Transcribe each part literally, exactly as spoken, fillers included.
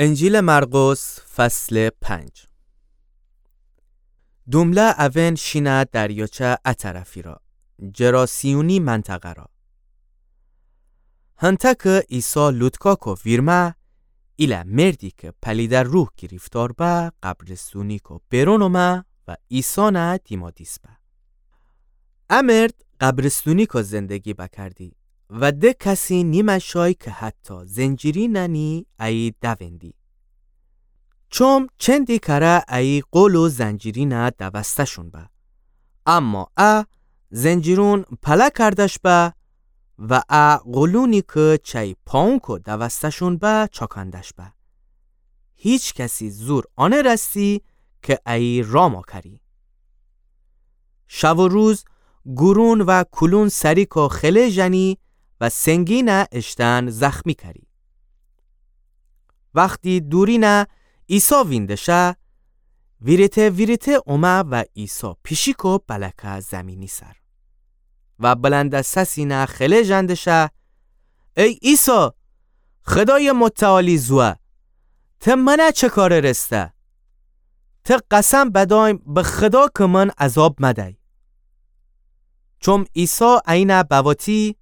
انجیلٚ مرقس، فصلٚ پنج. دومله اوئن شینه دریاچه ا طرفی را، جراسیونی منطقه را. هنتأ کی عیسی لوطکا کو ویرمه، ایله مردی کی پلیده روح گیریفتار به، قبرستونی کو برون اومه و عیسی نه دیمادیس به. ا مرد قبرستونی کو زندگی بکردی و ده کسی نیمه شای کی حتی زنجیرینه نی ایه دوندی. چوم چندی کره ایه قول و زنجیرینه دوسته‌شون به. اما ا زنجیرون پله کردش به و ا قولونی کی چی پاونکو دوسته‌شون به چاکندش به. هیچ کسی زور آنرسی کی ایه رام کری. شب و روز گورون و کولون سریکو خله ژنی و سنگینه اشتن زخمی کری. وختی دورینه عیسی وینده شه، ویریته ویریته اومه و عیسی پیشیکو بلکه زمینی سر و بلند سسینه خله ژنده شه: ای عیسی، خدایٚ متعالی زوه، ته منه چه کاره رسته؟ ته قسم بدایم به خدا کی من عذاب مدی. چوم عیسی اینه بواتی: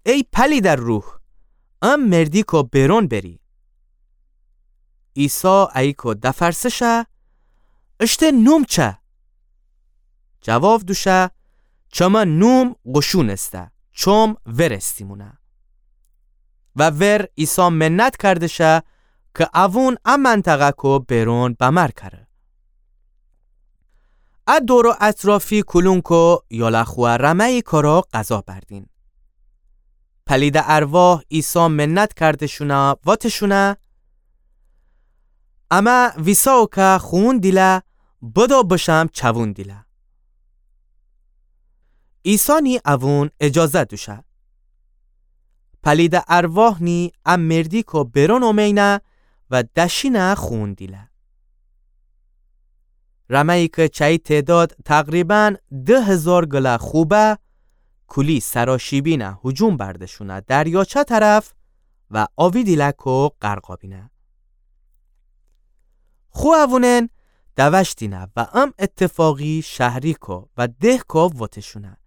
ای پلیده روح، ا مردیکو برون بری. عیسی ایکو دفرسه شه: اشته نوم چه؟ جواب دوشه: چمه نوم قوشون ایسه، چوم ورستیمونه. و ور عیسی منت کرده شه کی اوون ا منطقه کو برون بمر کره. ا دور و اطرافی کولونکو یاله خوه رمه‌یی کارا غذا بردین. پلیده ارواح عیسی منت کردشونه، واتشونه: امه ویساو کی خوون دیله، بدو بشم چوون دیله. عیسی نی اوون اجازه دوشه. پلیده ارواح نی ا مردیکو برون اومینه و دشینه خوون دیله. رمه‌یی کی چی تعداد تقریباً ده هزار گله خو به، کولی سراشیبینه هجوم بردشونه دریاچه طرف و آوی دیلکو غرقا بینه. خو اوونن دوشتینه و ام اتفاقی شهریکو و دهکو واتشونه.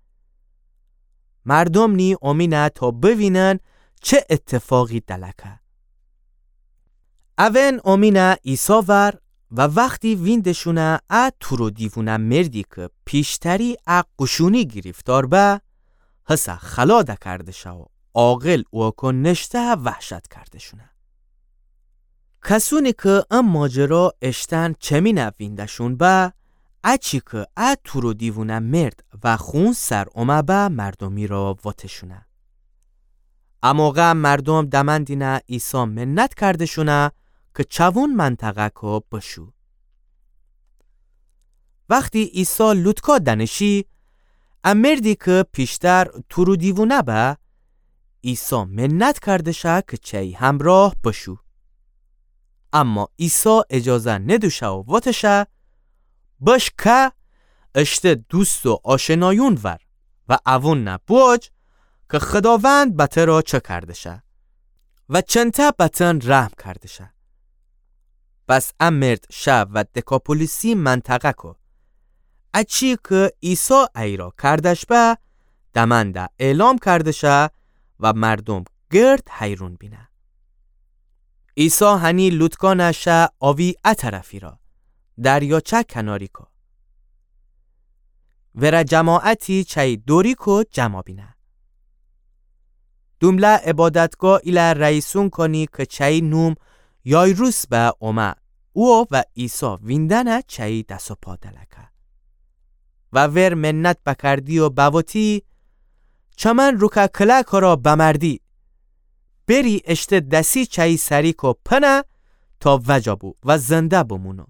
مردوم نی اومینه تا بوینن چه اتفاقی دلکه. اوئن اومینه عیسی ور و وختی ویندشونه ا تور و دیوونه مردی کی پیشتری ا قوشونی گیریفتار به، هسه خلا دکردشه و عاقل اوکو نشته وحشت کردشونه. کسونی کی ا ماجرا اشتن چمینه وینده‌شون به، اچی کی ا تور و دیوونه مرد و خون سر اومه به مردومی را واتشونه. ا موقع مردوم دمندینه عیسی منت کردشونه کی چوون منطقه‌کو بشو. وختی عیسی لوطکا دنشی، ا مردی کی پیشتر تور و دیوونه به، عیسی منت کردشه کی چی همراه بشو. اما عیسی اجازه ندوشه و واتشه: بش که اشته دوست و آشنایون ور و اوون نه بوجه کی خداوند به ترا چه کردشه و چنته به تن رحم کردشه. پس ا مرد شه و دکاپولیسی منطقه‌کو، اچی کی عیسی ایرا کردش به، دمنده اعلام کردشه و مردوم گرد حیرون بینه. عیسی هنی لوطکانه شه آوی ا طرفی را، دریاچه کناریکو. وره جماعتی چی دوریکو جمع بینه. دومله عبادتگاه ایله رئیسونکو نی کی چی نوم یایروس به اومه، او و عیسی ویندنه چی دس و پا دلکه. و ور منت بکردی و بواتی: چمن روکه کلکو را بمردی، بری اشته دسی چی سریکو پنه تا وجا بو و زنده بمونو.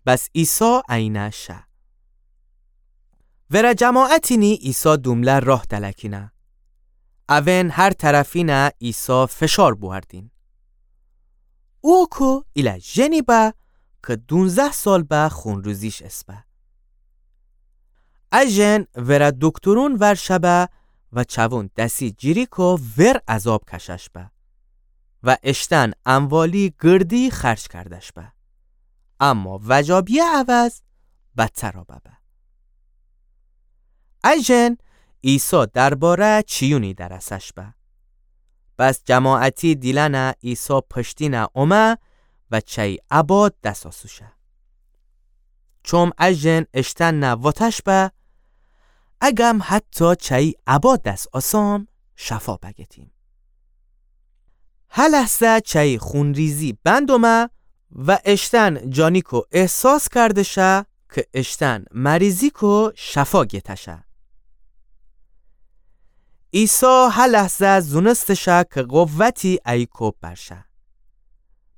پس عیسی اینه شه. وره جماعتی نی عیسی دومله راه دلکینه. اوئن هر طرفینه عیسی فشار بوأردین. اوکو ایله ژنی به کی دونزده سال به خونریزیش اسبه. ا ژن وره دکترون ور شه به و چوون دسی جیریکو ور عذاب کشش به. و اشتأن اموالی گردی خرج کردش به. اما وجابیه عوض بدترا ببه. ا ژن عیسی درباره چیونی درسش به. بس جماعتی دیلأنه عیسی پشتینه اومه و چأیی عبا دس آسوشه. چوم ا ژن اشتأنه وتش به، اگم حتی چأیی عبا دس آسام، شفا بگتیم. هه لحظه چأیی خونریزی بند اومه و اشتأن جانیکو احساس کردشه که اشتأن مریضیکو شفا گتشه. عیسی هه لحظه زونستشه که قوتی ایکو برشه.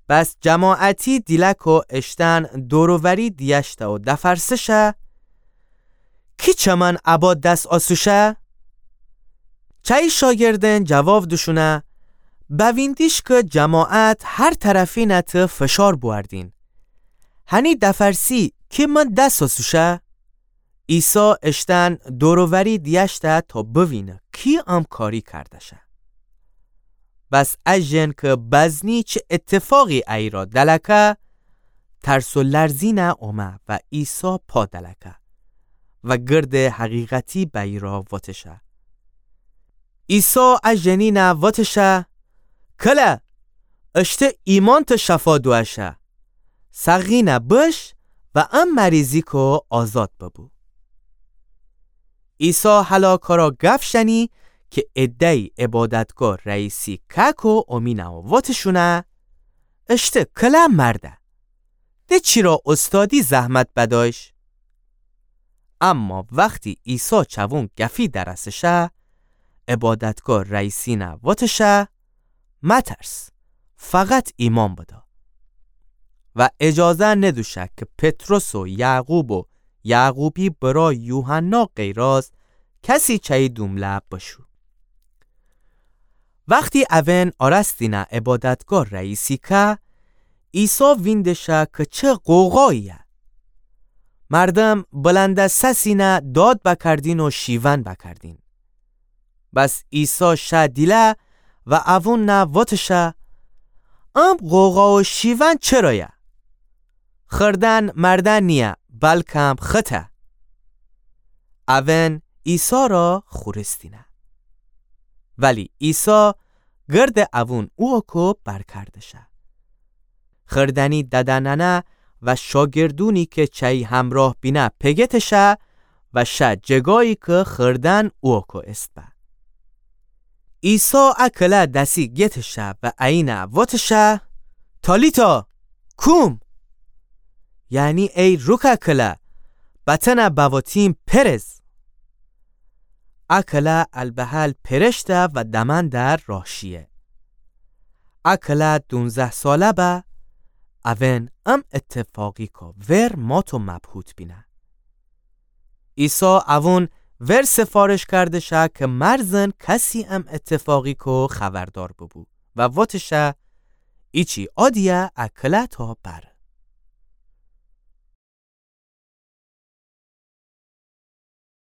بس جماعتی دیلکو اشتأن دور و وری دیأشته و دفرسشه، کی چمن عبا دس آسوشه؟ چأیی شاگردأن جواب دوشونه، بوینیدیش که جماعت هر طرفینه ته فشار بوأردین. هنی دفرسی کی من دس آسوشه؟ عیسی اشتأن دور و وری دیأشته تا بوینه کی ام کاری کردشه. بس ا ژن که بزنی چه اتفاقی ایرا دلکه، ترس و لرزینه اومه و عیسی پا دلکه و گرد حقیقتی بأییرا وتشه. عیسی ا ژنینه وتشه، کله، اشته ایمأن ته شفا دوأشه. سقینه بش و ام مریضیکو آزاد ببو. عیسی هلاکارا گف شنی که عده‌یی عبادتگاه رئیسی که‌کو اومینه و وتشونه، اشته کله مرده. ده چیرا اوستادی زحمت بدأیش؟ اما وختی عیسی چوون گفی درسشه، عبادتگاه رئیسینه وتشه، مترس، فقط ایمأن بدا. و اجازه ندوشه که پطرس و یعقوب و یعقوبی برأ یوحنا غیراز کسی چأیی دومله بشو. وختی اوئن آرستینه عبادتگاه رئیسی که‌یه، عیسی ویندشه که چه غوغایی‌یه. مردم بلند سسینه داد بکردین و شیون بکردین. بس عیسی شه دیله و اووننه وتشه، ام غوغا و شیون چرایه؟ خردن مردن نییه، بلکم خطه. اوئن عیسی را خورستینه. ولی عیسی گرد اوون اوکو برکردشه. خردنی ددنأنه و شاگردونی که چأیی همراه بینه پگتشه و شه جگایی که خردن اوکو ایسه به. عیسی ا کله دسی گتشه و اینه وتشه، تالیتا کوم! یعنی ای روکه کله، بتأنه بواتیم پرز. ا کله البهل پرشته و دمأنده راه شیه. ا کله دونزده ساله به. اوئن ام اتفاقیکو ور مات و مبهوت بینه. عیسی اوون ور سفارش کردشه که مرزن کسی ام اتفاقیکو خبردار ببو و وتشه، ایچی عادیه، ا کله تا بره.